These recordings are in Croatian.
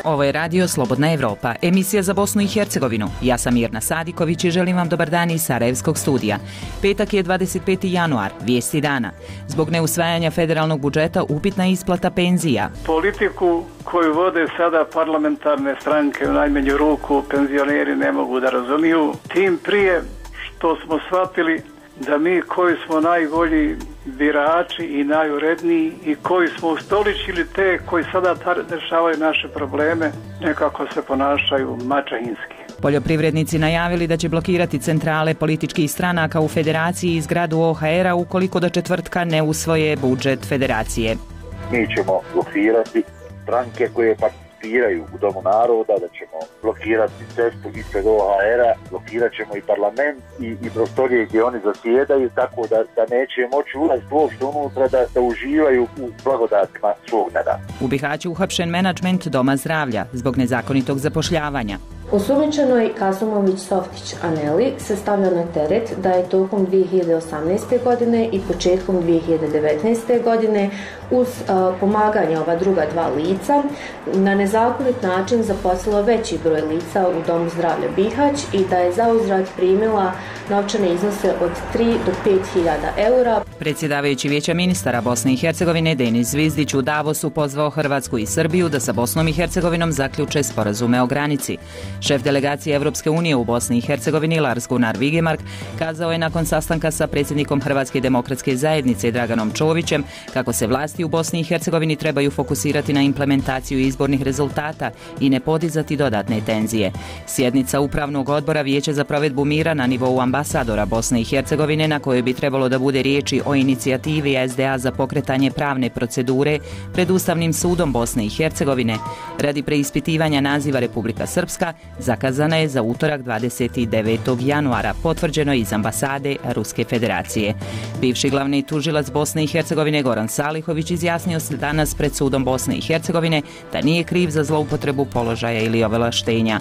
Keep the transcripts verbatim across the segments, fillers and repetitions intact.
Ovo je radio Slobodna Evropa, emisija za Bosnu i Hercegovinu. Ja sam Mirna Sadiković i želim vam dobar dan iz Sarajevskog studija. Petak je dvadeset peti januar, vijesti dana. Zbog neusvajanja federalnog budžeta upitna isplata penzija. Politiku koju vode sada parlamentarne stranke u najmanju ruku penzioneri ne mogu da razumiju, tim prije što smo shvatili da mi koji smo najbolji birači i najuredniji i koji smo ustoličili te koji sada rješavaju naše probleme, nekako se ponašaju maćehinski. Poljoprivrednici najavili da će blokirati centrale političkih stranaka u federaciji i zgradu O H R-a ukoliko do četvrtka ne usvoje budžet federacije. Mi ćemo blokirati stranke koje participiraju u Domu naroda, da ćemo blokirati cestu ispred O H R-a, blokirat ćemo i parlament i, i prostorije gdje oni zasjedaju, tako da, da neće moći ulaziti uopšte unutra da, da uživaju u blagodatima svog nada. U Bihaću uhapšen menadžment Doma zdravlja zbog nezakonitog zapošljavanja. Osumnjičenoj Kasumović Softić Aneli se stavlja na teret da je tokom dvije hiljade osamnaeste. godine i početkom dvije hiljade devetnaeste. godine uz uh, pomaganje ova druga dva lica na nezakonit način zaposlila veći broj lica u Domu zdravlja Bihać i da je zauzvrat primila novčane iznose od tri do pet hiljada eura. Predsjedavajući Vijeća ministara Bosne i Hercegovine Denis Zvizdić u Davosu pozvao Hrvatsku i Srbiju da sa Bosnom i Hercegovinom zaključe sporazume o granici. Šef delegacije Evropske unije u Bosni i Hercegovini Lars Gunnar Vigemark kazao je nakon sastanka sa predsjednikom Hrvatske demokratske zajednice Draganom Čovićem kako se vlasti u Bosni i Hercegovini trebaju fokusirati na implementaciju izbornih rezultata i ne podizati dodatne tenzije. Sjednica Upravnog odbora Vijeća za provedbu mira na nivou ambasadora Bosne i Hercegovine na kojoj bi trebalo da bude riječi o inicijativi S D A za pokretanje pravne procedure pred Ustavnim sudom Bosne i Hercegovine radi preispitivanja naziva Republika Srpska zakazana je za utorak dvadeset devetog januara, potvrđeno iz ambasade Ruske federacije. Bivši glavni tužilac Bosne i Hercegovine Goran Salihović izjasnio se danas pred sudom Bosne i Hercegovine da nije kriv za zloupotrebu položaja ili ovlaštenja.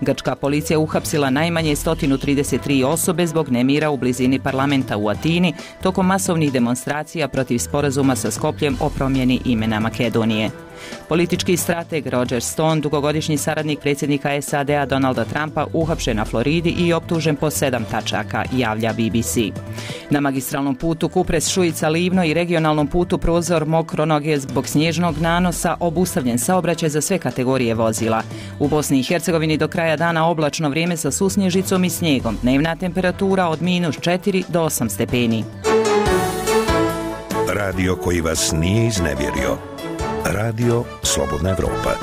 Grčka policija uhapsila najmanje sto trideset tri osobe zbog nemira u blizini parlamenta u Atini tokom masovnih demonstracija protiv sporazuma sa Skopljem o promjeni imena Makedonije. Politički strateg Roger Stone, dugogodišnji saradnik predsjednika S A D A Donalda Trumpa, uhapšen na Floridi i optužen po sedam tačaka, javlja B B C. Na magistralnom putu Kupres-Šujica-Livno i regionalnom putu Prozor Mokronoge zbog snježnog nanosa obustavljen saobraćaj za sve kategorije vozila. U Bosni i Hercegovini do kraja dana oblačno vrijeme sa susnježicom i snijegom, dnevna temperatura od minus četiri do osam stepeni. Radio koji vas nije iznevjerio. Radio Slobodna Evropa.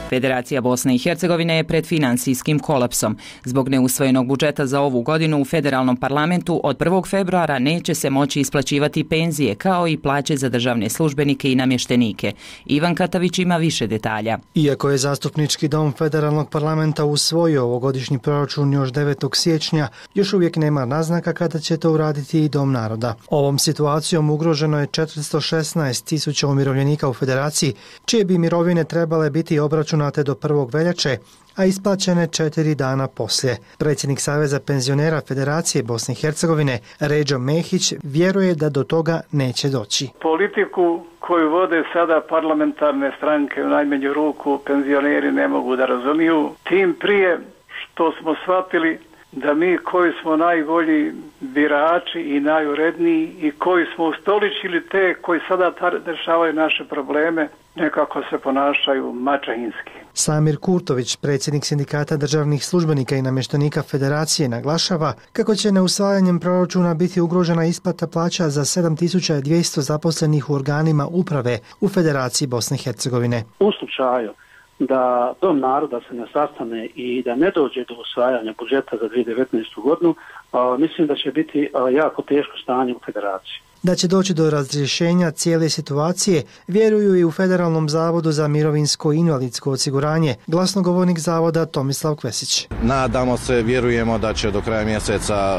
Federacija Bosne i Hercegovine je pred financijskim kolapsom. Zbog neusvojenog budžeta za ovu godinu u federalnom parlamentu od prvog februara neće se moći isplaćivati penzije kao i plaće za državne službenike i namještenike. Ivan Katavić ima više detalja. Iako je zastupnički dom federalnog parlamenta usvojio ovogodišnji proračun još devetog siječnja, još uvijek nema naznaka kada će to uraditi i Dom naroda. Ovom situacijom ugroženo je četiristo šesnaest tisuća umirovljenika u federaciji, čije bi mirovine trebale biti obračunate do prvog veljače, a isplaćene četiri dana poslije. Predsjednik Saveza penzionera Federacije Bosne i Hercegovine Ređo Mehić vjeruje da do toga neće doći. Politiku koju vode sada parlamentarne stranke u najmanju ruku penzioneri ne mogu da razumiju, tim prije što smo shvatili da mi koji smo najbolji birači i najuredniji i koji smo ustoličili te koji sada rješavaju naše probleme, nekako se ponašaju maćehinski. Samir Kurtović, predsjednik sindikata državnih službenika i namještenika Federacije, naglašava kako će neusvajanjem proračuna biti ugrožena isplata plaća za sedam tisuća dvjesto zaposlenih u organima uprave u Federaciji Bosne i Hercegovine. U slučaju da Dom naroda se ne sastane i da ne dođe do usvajanja budžeta za dvije hiljade devetnaestu. godinu, a, mislim da će biti a, jako teško stanje u Federaciji. Da će doći do razrješenja cijele situacije, vjeruju i u Federalnom zavodu za mirovinsko i invalidsko osiguranje, glasnogovornik zavoda Tomislav Kvesić. Nadamo se, vjerujemo da će do kraja mjeseca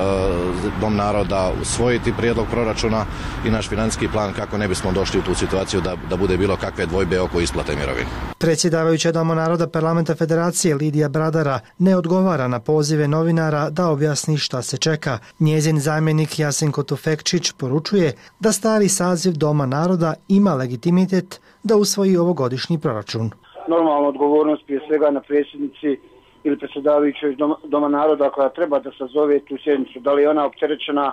Dom naroda usvojiti prijedlog proračuna i naš financijski plan kako ne bismo došli u tu situaciju da, da bude bilo kakve dvojbe oko isplate mirovine. Predsjedavajuća Doma naroda Parlamenta Federacije Lidija Bradara ne odgovara na pozive novinara da objasni šta se čeka. Njezin zamjenik Jasenko Tufekčić poručuje da stari saziv Doma naroda ima legitimitet da usvoji ovogodišnji proračun. Normalna odgovornost prije svega na predsjednici ili predsjedavajućoj Doma, Doma naroda koja treba da sazove tu sjednicu. Da li je ona opterećena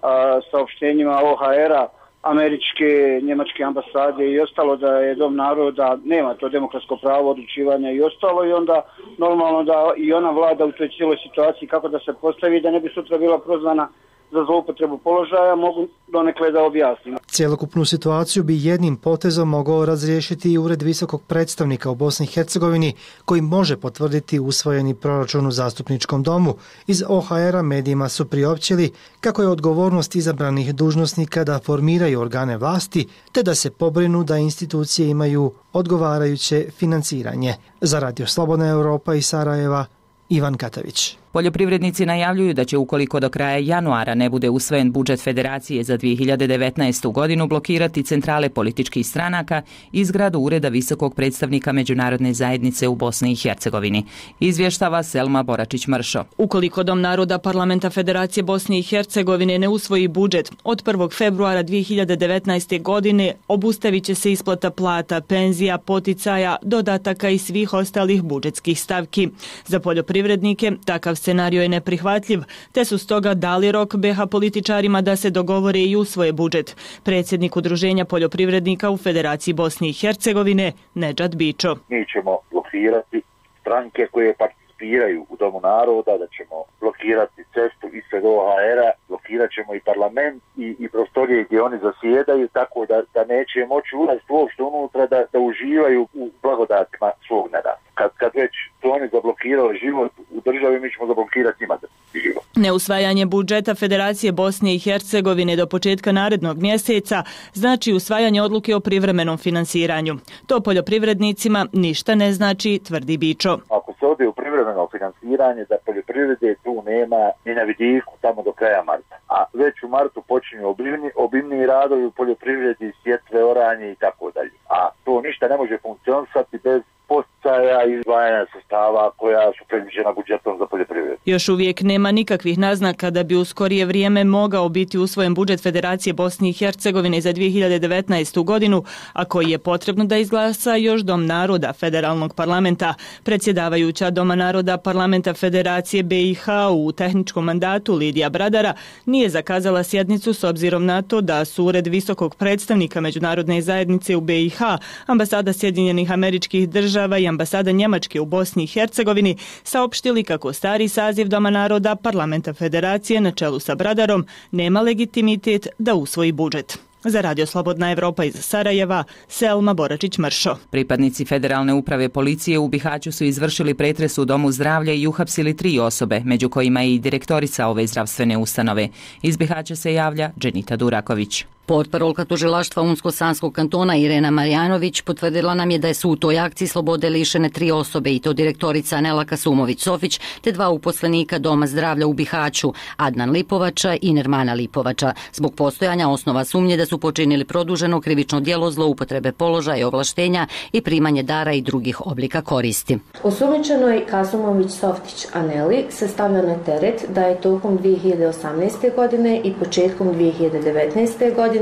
a, saopštenjima O H R-a, američke, njemačke ambasade i ostalo, da je Dom naroda nema to demokratsko pravo odlučivanja i ostalo, i onda normalno da i ona vlada u toj cijeloj situaciji kako da se postavi da ne bi sutra bila prozvana za zloupotrebu položaja, mogu donekle da objasnim. Cjelokupnu situaciju bi jednim potezom mogao razriješiti i Ured visokog predstavnika u Bosni i Hercegovini, koji može potvrditi usvojeni proračun u zastupničkom domu. Iz O H R-a medijima su priopćili kako je odgovornost izabranih dužnosnika da formiraju organe vlasti, te da se pobrinu da institucije imaju odgovarajuće financiranje. Za Radio Slobodna Europa iz Sarajeva, Ivan Katavić. Poljoprivrednici najavljuju da će, ukoliko do kraja januara ne bude usvojen budžet Federacije za dvije hiljade devetnaestu. godinu, blokirati centrale političkih stranaka i zgradu Ureda visokog predstavnika Međunarodne zajednice u Bosni i Hercegovini. Izvještava Selma Boračić-Mršo. Ukoliko Dom naroda Parlamenta Federacije Bosne i Hercegovine ne usvoji budžet, od prvog februara dvije hiljade devetnaeste. godine obustavit će se isplata plata, penzija, poticaja, dodataka i svih ostalih budžetskih stavki. Za poljoprivrednike takav scenario je neprihvatljiv, te su stoga dali rok B H političarima da se dogovore i usvoje budžet. Predsjednik Udruženja poljoprivrednika u Federaciji Bosne i Hercegovine, Nedžad Bičo. Mi ćemo blokirati stranke koje participiraju u Domu naroda, da ćemo blokirati cestu ispred O H R-a, blokirat ćemo i parlament i, i prostorije gdje oni zasjedaju, tako da, da neće moći ulaziti uopšte unutra da, da uživaju u blagodatima svog neda. Kad, kad već su oni zablokirali život u državi, mi ćemo zablokirati njima život. Neusvajanje budžeta Federacije Bosne i Hercegovine do početka narednog mjeseca znači usvajanje odluke o privremenom finansiranju. To poljoprivrednicima ništa ne znači, tvrdi Bičo. Ako se ode u privremeno finansiranje, da poljoprivrede tu nema ni na vidiku tamo do kraja marta. A već u martu počinju obimni, obimni radovi u poljoprivredi, sjetve, oranje i tako dalje. A to ništa ne može funkcionisati bez poticaja i izdvajanja sredstava koja su predviđena budžetom za poljoprivredu. Još uvijek nema nikakvih naznaka da bi u skorije vrijeme mogao biti usvojen budžet Federacije Bosne i Hercegovine za dvije hiljade devetnaestu. godinu, a koji je potrebno da izglasa još Dom naroda Federalnog parlamenta. Predsjedavajuća Doma naroda Parlamenta Federacije B i H u tehničkom mandatu Lidija Bradara nije zakazala sjednicu s obzirom na to da su Ured visokog predstavnika Međunarodne zajednice u B i H, ambasada Sjedinjenih Američkih Država i ambasada Njemačke u Bosni i Hercegovini saopštili kako stari saziv Doma naroda Parlamenta Federacije na čelu sa Bradarom nema legitimitet da usvoji budžet. Za Radio Slobodna Evropa iz Sarajeva, Selma Boračić-Mršo. Pripadnici Federalne uprave policije u Bihaću su izvršili pretres u Domu zdravlja i uhapsili tri osobe, među kojima je i direktorica ove zdravstvene ustanove. Iz Bihaća se javlja Dženita Duraković. Portparolka tužilaštva Unsko-Sanskog kantona Irena Marjanović potvrdila nam je da su u toj akciji slobode lišene tri osobe, i to direktorica Nela Kasumović-Sofić te dva uposlenika Doma zdravlja u Bihaću, Adnan Lipovača i Nermana Lipovača, zbog postojanja osnova sumnje da su počinili produženo krivično djelo zloupotrebe položaja i ovlaštenja i primanje dara i drugih oblika koristi. Osumnjičenoj Kasumović-Softić Aneli se stavlja na teret da je tokom dvije hiljade osamnaeste. godine i početkom dvije hiljade devetnaeste. godine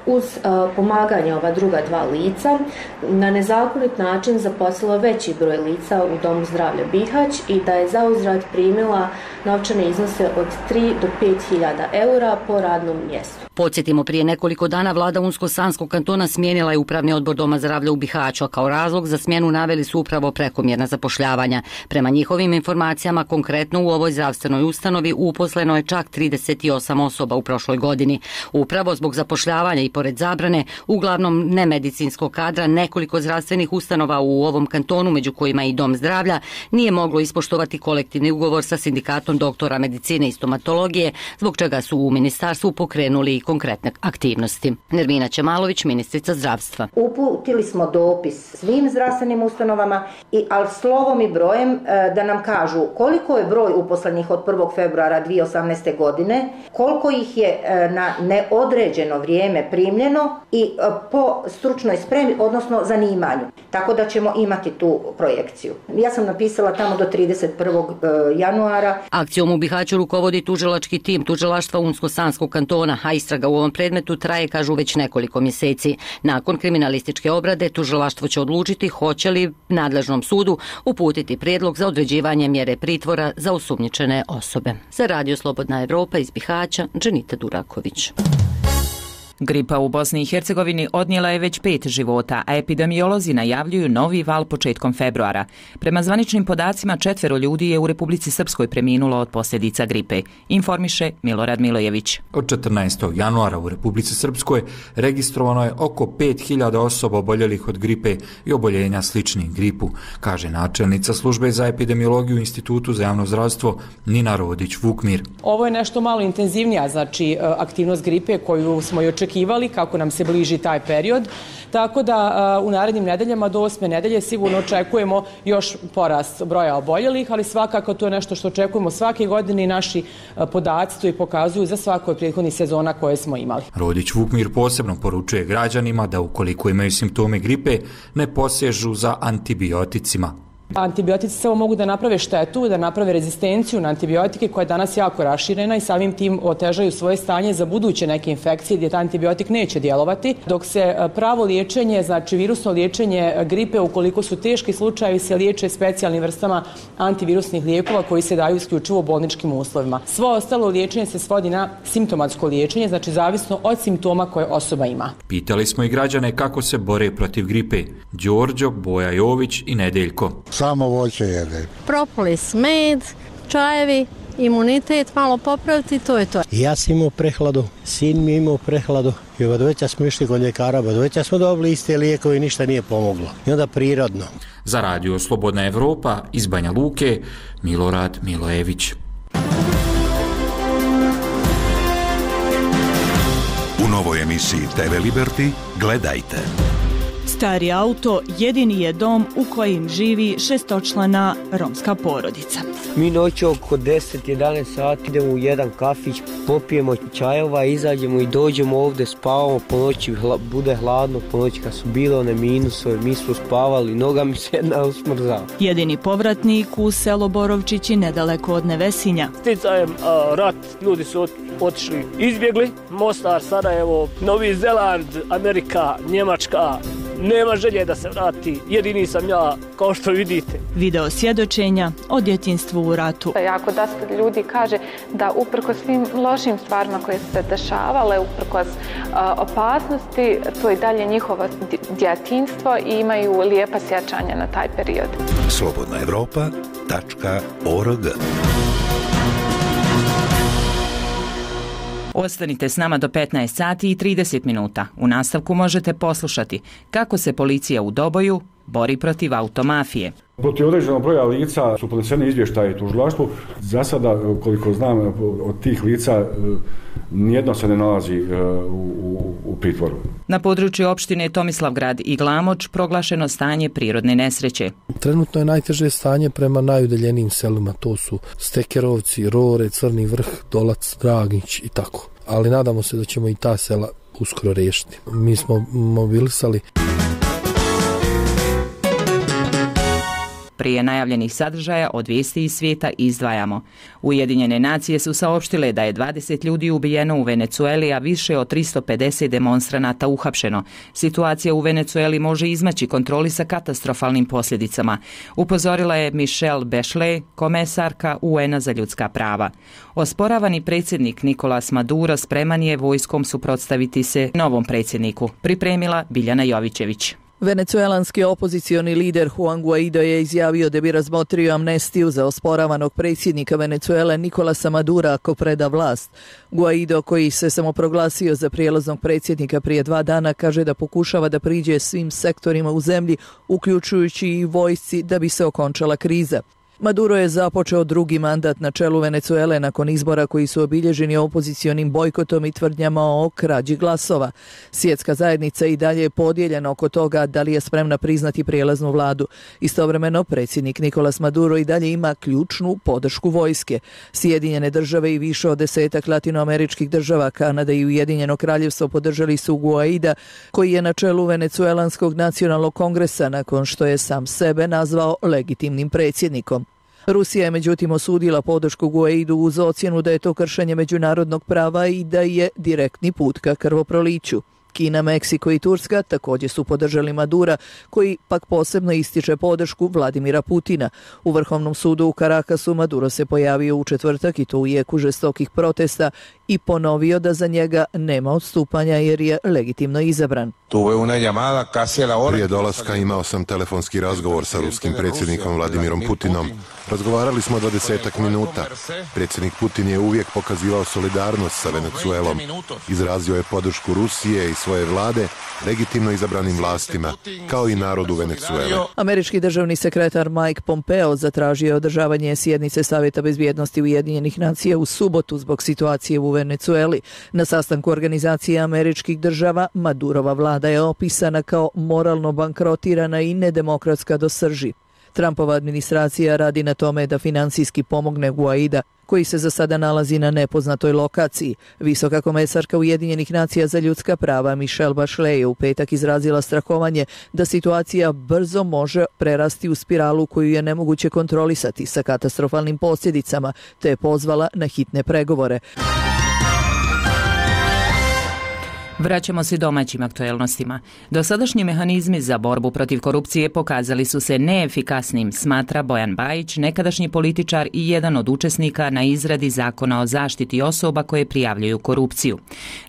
uz uh, pomaganje ova druga dva lica na nezakonit način zaposlila veći broj lica u Domu zdravlja Bihać i da je zauzvrat primila novčane iznose od tri do pet hiljada eura po radnom mjestu. Podsjetimo, prije nekoliko dana vlada Unsko-Sanskog kantona smijenila je upravni odbor Doma zdravlja u Bihaću, a kao razlog za smjenu naveli su upravo prekomjerna zapošljavanja. Prema njihovim informacijama, konkretno u ovoj zdravstvenoj ustanovi uposleno je čak trideset osam osoba u prošloj godini. Upravo zbog zapošljavanja i pored zabrane, uglavnom nemedicinskog kadra, nekoliko zdravstvenih ustanova u ovom kantonu, među kojima i Dom zdravlja, nije moglo ispoštovati kolektivni ugovor sa sindikatom doktora medicine i stomatologije, zbog čega su u ministarstvu pokrenuli i konkretne aktivnosti. Nermina Čemalović, ministrica zdravstva. Uputili smo dopis svim zdravstvenim ustanovama, i, ali slovom i brojem da nam kažu koliko je broj uposlenih od prvog februara dvije hiljade osamnaeste. godine, koliko ih je na neodređeno vrijeme primljeno i po stručnoj spremi, odnosno zanimanju. Tako da ćemo imati tu projekciju. Ja sam napisala tamo do trideset prvog januara. Akcijom u Bihaću rukovodi tužilački tim tužilaštva Unsko-Sanskog kantona, a istraga u ovom predmetu traje, kažu, već nekoliko mjeseci. Nakon kriminalističke obrade tužilaštvo će odlučiti hoće li nadležnom sudu uputiti prijedlog za određivanje mjere pritvora za osumnjičene osobe. Za Radio Slobodna Evropa iz Bihaća, Dženita Duraković. Gripa u Bosni i Hercegovini odnijela je već pet života, a epidemiolozi najavljuju novi val početkom februara. Prema zvaničnim podacima, četvero ljudi je u Republici Srpskoj preminulo od posljedica gripe, informiše Milorad Milojević. Od četrnaestog januara u Republici Srpskoj registrovano je oko pet hiljada osoba oboljelih od gripe i oboljenja sličnih gripu, kaže načelnica službe za epidemiologiju u Institutu za javno zdravstvo Nina Rodić-Vukmir. Ovo je nešto malo intenzivnija, znači aktivnost gripe koju smo i očekivali kako nam se bliži taj period, tako da u narednim nedeljama do osme nedelje sigurno očekujemo još porast broja oboljelih, ali svakako to je nešto što očekujemo svake godine i naši podaci to i pokazuju za svako od prethodnih sezona koje smo imali. Rodić-Vukmir posebno poručuje građanima da ukoliko imaju simptome gripe ne posežu za antibioticima. Antibiotici samo mogu da naprave štetu, da naprave rezistenciju na antibiotike koja je danas jako raširena i samim tim otežaju svoje stanje za buduće neke infekcije gdje taj antibiotik neće djelovati, dok se pravo liječenje, znači virusno liječenje gripe, ukoliko su teški slučajevi, se liječe specijalnim vrstama antivirusnih lijekova koji se daju isključivo u bolničkim uslovima. Svo ostalo liječenje se svodi na simptomatsko liječenje, znači zavisno od simptoma koje osoba ima. Pitali smo i građane kako se bore protiv gripe. Đorđo, Boja Jović i Nedeljko. Samo voće jede. Propolis, med, čajevi, imunitet malo popraviti, to je to. Ja sam imao prehladu, sin mi imao prehladu i od veća smo išli kod ljekara, od veća smo dobili iste lijekove i ništa nije pomoglo. I onda prirodno. Za Radio Slobodna Evropa iz Banja Luke, Milorad Milojević. U novoj emisiji T V Liberty gledajte. Stari auto jedini je dom u kojem živi šestočlana romska porodica. Mi noći oko deset do jedanaest sati idemo u jedan kafić, popijemo čajova, izađemo i dođemo ovdje, spavamo po noći, hla, bude hladno po noći kad su bile one minusove, mi smo spavali, noga mi se jedna usmrzala. Jedini povratnik u selo Borovčići nedaleko od Nevesinja. Sticajem a, rat, ljudi su ot, otišli, izbjegli, Mostar, Sarajevo, Novi Zeland, Amerika, Njemačka. Nema želje da se vrati, jedini sam ja, kao što vidite. Video svjedočenja o djetinjstvu u ratu. Jako dosta ljudi kaže da uprkos svim lošim stvarima koje su se dešavale, uprkos uh, opasnosti, to je dalje njihovo djetinjstvo i imaju lijepa sjećanja na taj period. slobodna evropa tačka org. Ostanite s nama do petnaest sati i trideset minuta. U nastavku možete poslušati kako se policija u Doboju bori protiv automafije. Protiv određenog broja lica su podneseni izvještaji tužilaštvu. Za sada, koliko znam, od tih lica nijedno se ne nalazi u, u, u pritvoru. Na području opštine Tomislavgrad i Glamoč proglašeno stanje prirodne nesreće. Trenutno je najteže stanje prema najudaljenijim selima. To su Stekerovci, Rore, Crni vrh, Dolac, Dragnić i tako. Ali nadamo se da ćemo i ta sela uskoro riješiti. Mi smo mobilisali. Prije najavljenih sadržaja od vijesti iz svijeta izdvajamo. Ujedinjene nacije su saopštile da je dvadeset ljudi ubijeno u Venecueli, a više od tristo pedeset demonstranata uhapšeno. Situacija u Venecueli može izmaći kontroli sa katastrofalnim posljedicama, upozorila je Michelle Bachelet, komesarka U N-a za ljudska prava. Osporavani predsjednik Nicolas Maduro spreman je vojskom suprotstaviti se novom predsjedniku, pripremila Biljana Jovićević. Venecuelanski opozicioni lider Juan Guaido je izjavio da bi razmotrio amnestiju za osporavanog predsjednika Venecuele Nicolasa Madura ako preda vlast. Guaido, koji se samoproglasio za prijelaznog predsjednika prije dva dana, kaže da pokušava da priđe svim sektorima u zemlji, uključujući i vojsci, da bi se okončala kriza. Maduro je započeo drugi mandat na čelu Venecuele nakon izbora koji su obilježeni opozicionim bojkotom i tvrdnjama o krađi glasova. Svjetska zajednica i dalje je podijeljena oko toga da li je spremna priznati prijelaznu vladu. Istovremeno, predsjednik Nicolas Maduro i dalje ima ključnu podršku vojske. Sjedinjene države i više od desetak latinoameričkih država, Kanada i Ujedinjeno kraljevstvo podržali su Guaida, koji je na čelu Venecuelanskog nacionalnog kongresa nakon što je sam sebe nazvao legitimnim predsjednikom. Rusija je međutim osudila podršku Guaidu uz ocjenu da je to kršenje međunarodnog prava i da je direktni put ka krvoproliću. Kina, Meksiko i Turska također su podržali Madura, koji pak posebno ističe podršku Vladimira Putina. U Vrhovnom sudu u Karakasu Maduro se pojavio u četvrtak i to u jeku žestokih protesta i ponovio da za njega nema odstupanja jer je legitimno izabran. Prije dolaska imao sam telefonski razgovor sa ruskim predsjednikom Vladimirom Putinom. Razgovarali smo dvadesetak minuta. Predsjednik Putin je uvijek pokazivao solidarnost sa Venecuelom. Izrazio je podršku Rusije i svoje vlade legitimno izabranim vlastima, kao i narodu Venecuele. Američki državni sekretar Mike Pompeo zatražio je održavanje sjednice Savjeta bezbjednosti Ujedinjenih nacija u subotu zbog situacije u Venecueli. Na sastanku Organizacije američkih država Madurova vlada je opisana kao moralno bankrotirana i nedemokratska do srži. Trumpova administracija radi na tome da financijski pomogne Guaida, koji se za sada nalazi na nepoznatoj lokaciji. Visoka komesarka Ujedinjenih nacija za ljudska prava Michelle Bachelet je u petak izrazila strahovanje da situacija brzo može prerasti u spiralu koju je nemoguće kontrolisati sa katastrofalnim posljedicama, te je pozvala na hitne pregovore. Vraćamo se domaćim aktuelnostima. Dosadašnji mehanizmi za borbu protiv korupcije pokazali su se neefikasnim, smatra Bojan Bajić, nekadašnji političar i jedan od učesnika na izradi zakona o zaštiti osoba koje prijavljuju korupciju.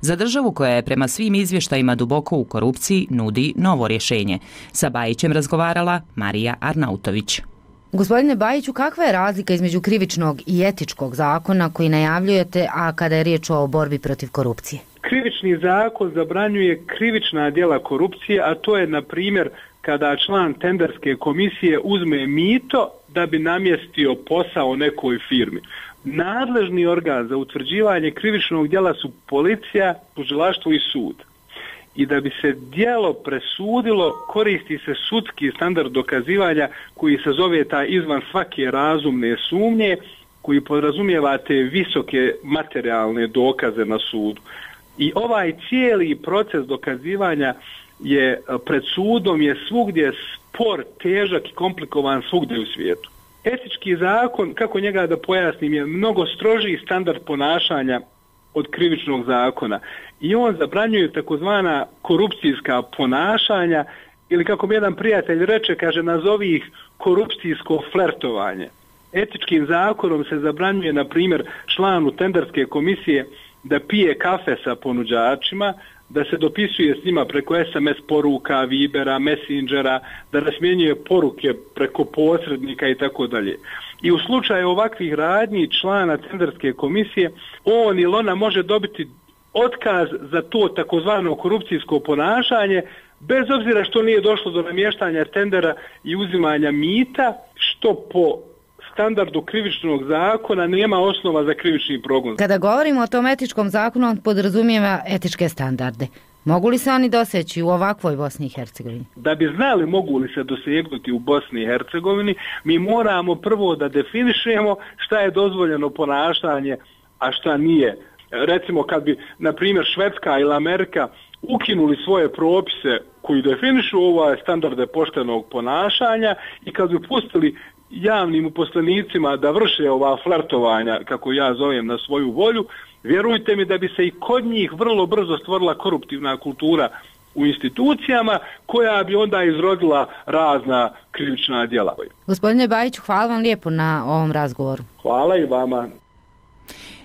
Za državu koja je prema svim izvještajima duboko u korupciji nudi novo rješenje. Sa Bajićem razgovarala Marija Arnautović. Gospodine Bajiću, kakva je razlika između krivičnog i etičkog zakona koji najavljujete, a kada je riječ o borbi protiv korupcije? Krivični zakon zabranjuje krivična djela korupcije, a to je, na primjer, kada član tenderske komisije uzme mito da bi namjestio posao nekoj firmi. Nadležni organ za utvrđivanje krivičnog djela su policija, tužilaštvo i sud. I da bi se djelo presudilo, koristi se sudski standard dokazivanja koji se zove taj izvan svake razumne sumnje, koji podrazumijeva te visoke materijalne dokaze na sudu. I ovaj cijeli proces dokazivanja je pred sudom je svugdje spor, težak i komplikovan svugdje u svijetu. Etički zakon, kako njega da pojasnim, je mnogo strožiji standard ponašanja od krivičnog zakona i on zabranjuje takozvana korupcijska ponašanja ili, kako mi jedan prijatelj reče, kaže, nazovi ih korupcijsko flertovanje. Etičkim zakonom se zabranjuje, na primjer, članu tenderske komisije da pije kafe sa ponuđačima, da se dopisuje s njima preko es em es poruka, Vibera, Messengera, da razmjenjuje poruke preko posrednika i tako dalje. I u slučaju ovakvih radnji člana tenderske komisije, on ili ona može dobiti otkaz za to takozvano korupcijsko ponašanje, bez obzira što nije došlo do namještanja tendera i uzimanja mita, što po standardu krivičnog zakona nema osnova za krivični progon. Kada govorimo o tom etičkom zakonu, on podrazumijeva etičke standarde. Mogu li se oni doseći u ovakvoj Bosni i Hercegovini? Da bi znali mogu li se dosegnuti u Bosni i Hercegovini, mi moramo prvo da definišemo šta je dozvoljeno ponašanje, a šta nije. Recimo, kad bi, na primjer, Švedska ili Amerika ukinuli svoje propise koji definišu ove standarde poštenog ponašanja i kad bi pustili javnim uposlenicima da vrše ova flertovanja, kako ja zovem, na svoju volju, vjerujte mi da bi se i kod njih vrlo brzo stvorila koruptivna kultura u institucijama koja bi onda izrodila razna krivična djela. Gospodine Bajiću, hvala vam lijepo na ovom razgovoru. Hvala i vama.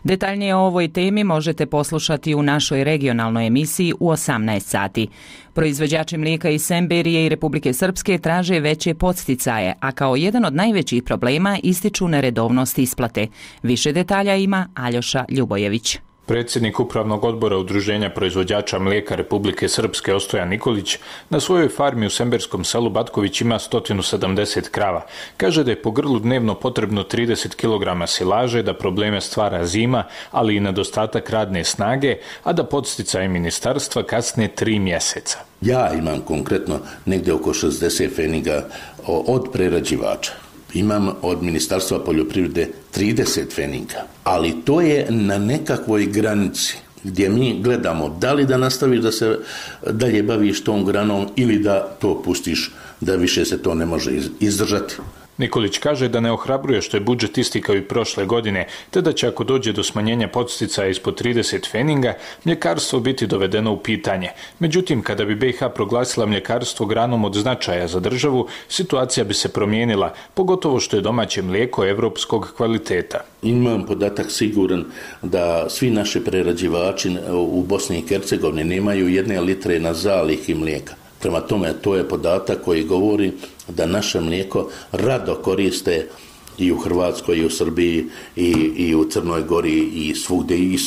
Detaljnije o ovoj temi možete poslušati u našoj regionalnoj emisiji u osamnaest sati. Proizvođači mlijeka iz Semberije i Republike Srpske traže veće podsticaje, a kao jedan od najvećih problema ističu neredovnost isplate. Više detalja ima Aljoša Ljubojević. Predsjednik Upravnog odbora Udruženja proizvođača mlijeka Republike Srpske Ostojan Nikolić na svojoj farmi u semberskom selu Batković ima sto sedamdeset krava. Kaže da je po grlu dnevno potrebno trideset kilograma silaže, da probleme stvara zima, ali i nedostatak radne snage, a da podsticaj ministarstva kasne tri mjeseca. Ja imam konkretno negdje oko šezdeset feninga od prerađivača. Imam od Ministarstva poljoprivrede trideset feninga, ali to je na nekakvoj granici gdje mi gledamo da li da nastaviš da se dalje baviš tom granom ili da to pustiš, da više se to ne može izdržati. Nikolić kaže da ne ohrabruje što je budžet isti kao i prošle godine, te da će ako dođe do smanjenja podsticaja ispod trideset feninga, mljekarstvo biti dovedeno u pitanje. Međutim, kada bi B i H proglasila mljekarstvo granom od značaja za državu, situacija bi se promijenila, pogotovo što je domaće mlijeko evropskog kvaliteta. Imam podatak siguran da svi naši prerađivači u Bosni i Hercegovini nemaju jedne litre na zalihi mlijeka. Prema tome, to je podatak koji govori da naše mlijeko rado koriste i u Hrvatskoj, i u Srbiji, i, i u Crnoj Gori, i svugdje, i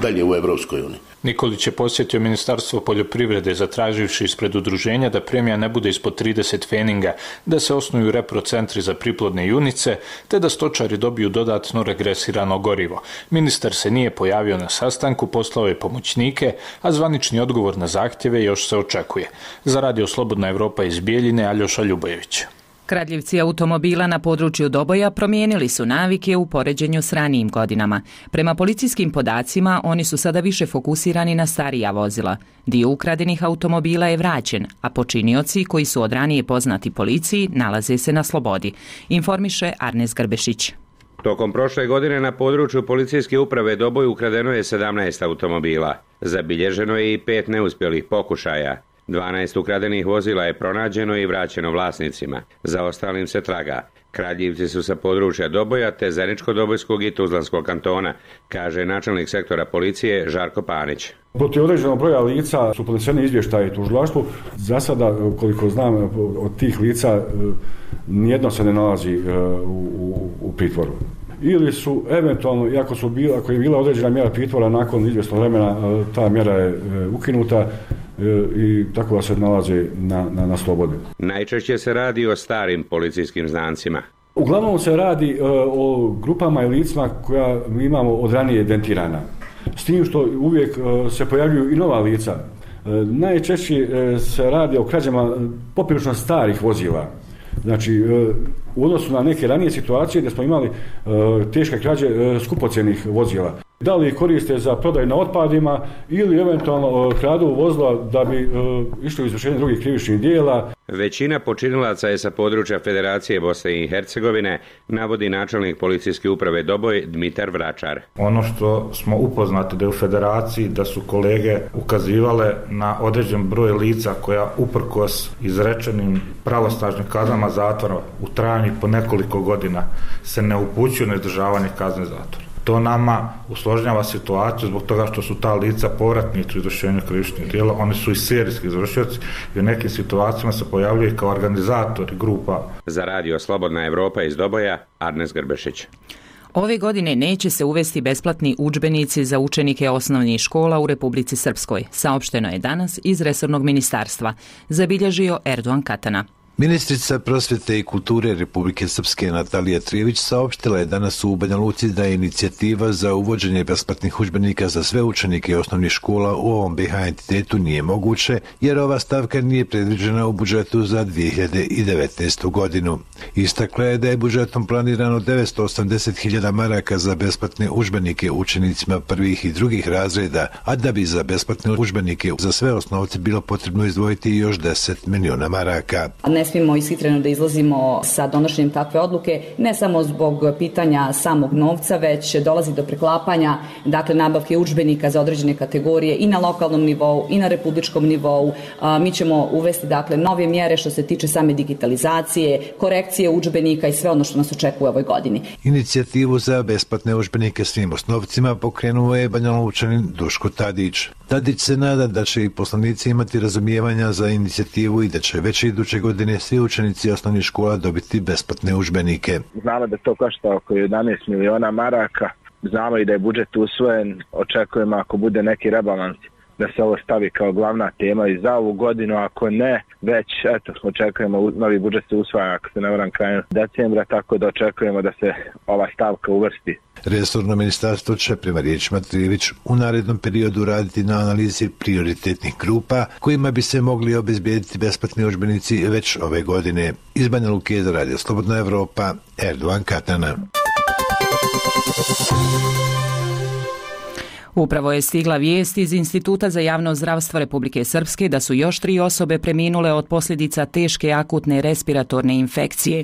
dalje u Evropskoj uniji. Nikolić je posjetio Ministarstvo poljoprivrede zatraživši ispred udruženja da premija ne bude ispod trideset feninga, da se osnuju reprocentri za priplodne junice, te da stočari dobiju dodatno regresirano gorivo. Ministar se nije pojavio na sastanku, poslao je pomoćnike, a zvanični odgovor na zahtjeve još se očekuje. Za Radio Slobodna Evropa iz Bijeljine, Aljoša Ljubojević. Kradljivci automobila na području Doboja promijenili su navike u poređenju s ranijim godinama. Prema policijskim podacima, oni su sada više fokusirani na starija vozila. Dio ukradenih automobila je vraćen, a počinioci koji su od ranije poznati policiji nalaze se na slobodi, informiše Arnes Grbešić. Tokom prošle godine na području policijske uprave Doboj ukradeno je sedamnaest automobila. Zabilježeno je i pet neuspjelih pokušaja. dvanaest ukradenih vozila je pronađeno i vraćeno vlasnicima. Za ostalim se traga. Kradljivci su sa područja Doboja te Zeničko-Dobojskog i Tuzlanskog kantona, kaže načelnik sektora policije Žarko Panić. Protiv određenog broja lica su podneseni izvještaji tužilaštvu. Za sada, koliko znam, od tih lica nijedno se ne nalazi u, u, u pritvoru. Ili su eventualno, iako su bila, ako je bila određena mjera pritvora, nakon izvjesnog vremena ta mjera je ukinuta i tako da se nalaze na, na, na slobodi. Najčešće se radi o starim policijskim znancima. Uglavnom se radi uh, o grupama i licima koja mi imamo od ranije identirana. S tim što uvijek uh, se pojavljuju i nova lica. Uh, najčešće uh, se radi o krađama poprilično starih vozila. Znači, uh, u odnosu na neke ranije situacije gdje smo imali uh, teške krađe uh, skupocjenih vozila. Da li koriste za prodaju na otpadima ili eventualno kradu vozila da bi e, išli u izvršenje drugih krivičnih dijela. Većina počinilaca je sa područja Federacije Bosne i Hercegovine, navodi načelnik policijske uprave Doboj Dmitar Vračar. Ono što smo upoznati da je u Federaciji da su kolege ukazivale na određen broj lica koja uprkos izrečenim pravosnažnim kaznama zatvora u trajanju po nekoliko godina se ne upućuju na izdržavanje kazne zatvora. To nama usložnjava situaciju zbog toga što su ta lica povratnici u izvršenju krivičnih djela, oni su i serijski izvršioci i u nekim situacijama se pojavljuju kao organizatori grupa. Za Radio Slobodna Evropa iz Doboja, Arnes Grbešić. Ove godine neće se uvesti besplatni udžbenici za učenike osnovnih škola u Republici Srpskoj, saopšteno je danas iz resornog ministarstva, zabilježio Erdogan Katana. Ministrica prosvjete i kulture Republike Srpske Natalija Trijević saopštila je danas u Banja Luci da je inicijativa za uvođenje besplatnih udžbenika za sve učenike osnovnih škola u ovom B i H entitetu nije moguće, jer ova stavka nije predviđena u budžetu za dvije hiljade devetnaestu godinu. Istakla je da je budžetom planirano devetsto osamdeset hiljada maraka za besplatne udžbenike učenicima prvih i drugih razreda, a da bi za besplatne udžbenike za sve osnovce bilo potrebno izdvojiti još deset miliona maraka. Ne smijemo ishitreno da izlazimo sa donošenjem takve odluke, ne samo zbog pitanja samog novca, već dolazi do preklapanja, dakle, nabavke udžbenika za određene kategorije i na lokalnom nivou i na republičkom nivou. A, mi ćemo uvesti, dakle, nove mjere što se tiče same digitalizacije, korekcije udžbenika i sve ono što nas očekuje u ovoj godini. Inicijativu za besplatne udžbenike svim osnovcima pokrenuo je Banjalučanin Duško Tadić. Tadić se nada da će i poslanici imati razumijevanja za inicijativu i da će već iduće godine svi učenici osnovnih škola dobiti besplatne udžbenike. Znamo da to košta oko jedanaest miliona maraka, znamo i da je budžet usvojen, očekujemo ako bude neki rebalans da se ovo stavi kao glavna tema i za ovu godinu, ako ne, već eto, očekujemo, novi budžet se usvaja, ako se ne varam, krajem decembra, tako da očekujemo da se ova stavka uvrsti. Resorno ministarstvo će prema riječima Trijević u narednom periodu raditi na analizi prioritetnih grupa kojima bi se mogli obezbijediti besplatni udžbenici već ove godine. Iz Banja Luke za Radio Slobodna Evropa, Erdogan Katana. Upravo je stigla vijest iz Instituta za javno zdravstvo Republike Srpske da su još tri osobe preminule od posljedica teške akutne respiratorne infekcije.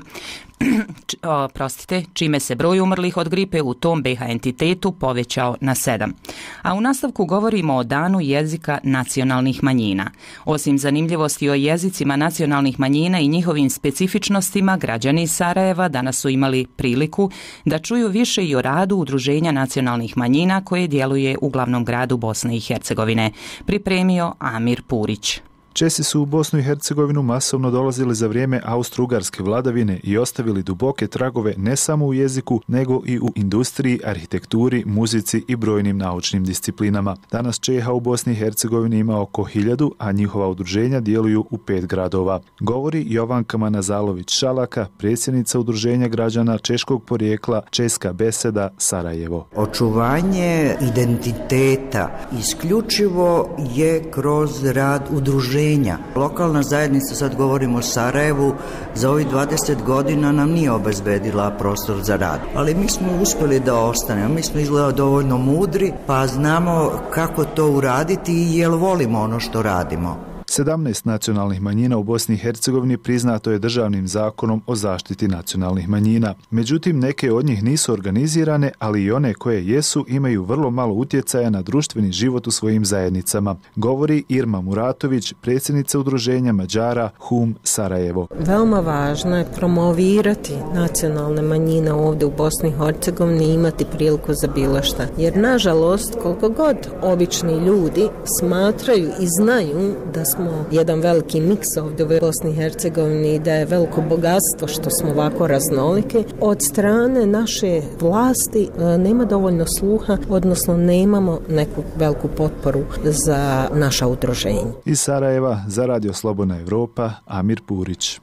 o, prostite, čime se broj umrlih od gripe u tom B H entitetu povećao na sedam. A u nastavku govorimo o danu jezika nacionalnih manjina. Osim zanimljivosti o jezicima nacionalnih manjina i njihovim specifičnostima, građani iz Sarajeva danas su imali priliku da čuju više i o radu Udruženja nacionalnih manjina koje djeluje u glavnom gradu Bosne i Hercegovine. Pripremio Amir Purić. Česi su u Bosnu i Hercegovinu masovno dolazili za vrijeme austro-ugarske vladavine i ostavili duboke tragove ne samo u jeziku, nego i u industriji, arhitekturi, muzici i brojnim naučnim disciplinama. Danas Čeha u Bosni i Hercegovini ima oko hiljadu, a njihova udruženja djeluju u pet gradova. Govori Jovanka Manazalović-Šalaka, predsjednica Udruženja građana češkog porijekla Česka beseda Sarajevo. Očuvanje identiteta isključivo je kroz rad udruženja. Lokalna zajednica, sad govorimo o Sarajevu, za ovih dvadeset godina nam nije obezbedila prostor za rad. Ali mi smo uspjeli da ostanemo, mi smo izgleda dovoljno mudri, pa znamo kako to uraditi i jel volimo ono što radimo. sedamnaest nacionalnih manjina u Bosni i Hercegovini priznato je državnim zakonom o zaštiti nacionalnih manjina. Međutim, neke od njih nisu organizirane, ali i one koje jesu imaju vrlo malo utjecaja na društveni život u svojim zajednicama, govori Irma Muratović, predsjednica Udruženja Mađara Hum Sarajevo. Veoma važno je promovirati nacionalne manjine ovdje u Bosni i Hercegovini i imati priliku za bilo šta. Jer, nažalost, koliko god obični ljudi smatraju i znaju da smo jedan veliki miks ovdje u Bosni i Hercegovini i da je veliko bogatstvo što smo ovako raznolike, od strane naše vlasti nema dovoljno sluha, odnosno nemamo neku veliku potporu za naša udruženja. Iz Sarajeva za Radio Slobodna Evropa, Amir Purić.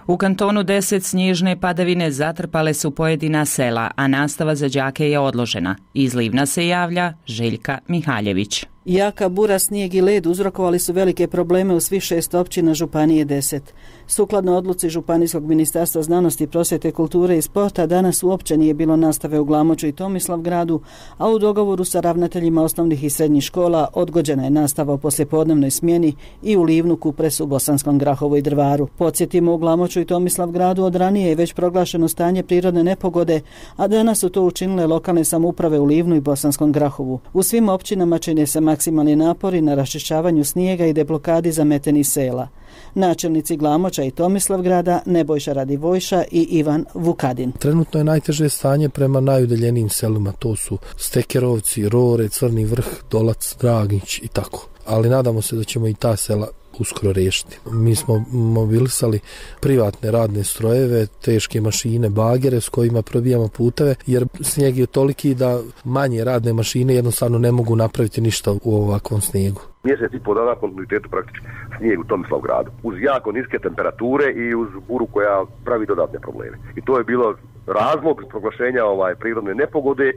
U kantonu deset snježne padavine zatrpale su pojedina sela, a nastava za đake je odložena. Iz Livna se javlja Željka Mihaljević. Jaka bura, snijeg i led uzrokovali su velike probleme u svih šest općina Županije deset. Sukladno odluci Županijskog ministarstva znanosti, prosvjete, kulture i sporta, danas uopće nije bilo nastave u Glamoču i Tomislavgradu, a u dogovoru sa ravnateljima osnovnih i srednjih škola odgođena je nastava u poslijepodnevnoj smjeni i u Livnu, Kupresu, Bosanskom Grahovu i Drvaru. Podsjetimo, u Glamoču i Tomislavgradu od ranije je već proglašeno stanje prirodne nepogode, a danas su to učinile lokalne samouprave u Livnu i Bosanskom Grahovu. U svim općinama čine se maksimalni napori na raščišćavanju snijega i deblokadi zametenih sela. Načelnici Glamoča i Tomislavgrada Nebojša Radivojša i Ivan Vukadin. Trenutno je najteže stanje prema najudaljenijim selima, to su Stekerovci, Rore, Crni vrh, Dolac, Draginć i tako. Ali nadamo se da ćemo i ta sela uskoro riješiti. Mi smo mobilisali privatne radne strojeve, teške mašine, bagere s kojima probijamo puteve, jer snijeg je toliki da manje radne mašine jednostavno ne mogu napraviti ništa u ovakvom snijegu. Mjesec i po dana kontinuitetu praktički snijeg u Tomislavgradu. Uz jako niske temperature i uz buru koja pravi dodatne probleme. I to je bilo razlog proglašenja ovaj prirodne nepogode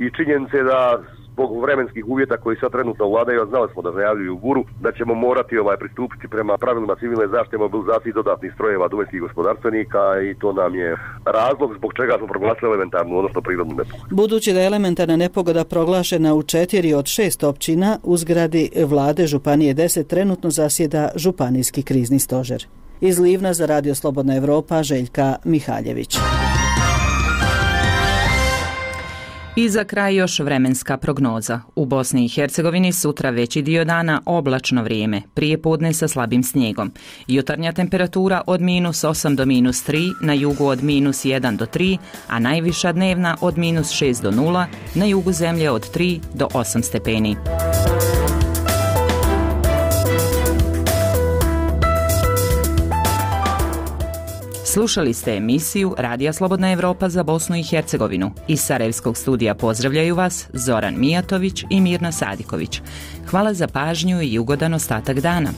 i činjenice da zbog vremenskih uvjeta koji sad trenutno vladaju, a znali smo da najavljuju buru, da ćemo morati ovaj pristupiti prema pravilima civilne zaštite, mobilizaciji dodatnih strojeva domaćih gospodarstvenika i to nam je razlog zbog čega smo proglasili elementarnu, odnosno prirodnu nepogodu. Budući da je elementarna nepogoda proglašena u četiri od šest općina, u zgradi vlade Županije deset trenutno zasjeda Županijski krizni stožer. Iz Livna za Radio Slobodna Evropa, Željka Mihaljević. I za kraj još vremenska prognoza. U Bosni i Hercegovini sutra veći dio dana oblačno vrijeme, prije podne sa slabim snijegom. Jutarnja temperatura od minus osam do minus tri, na jugu od minus jedan do tri, a najviša dnevna od minus šest do nula, na jugu zemlje od tri do osam stepeni. Slušali ste emisiju Radija Slobodna Evropa za Bosnu i Hercegovinu. Iz Sarajevskog studija pozdravljaju vas Zoran Mijatović i Mirna Sadiković. Hvala za pažnju i ugodan ostatak dana.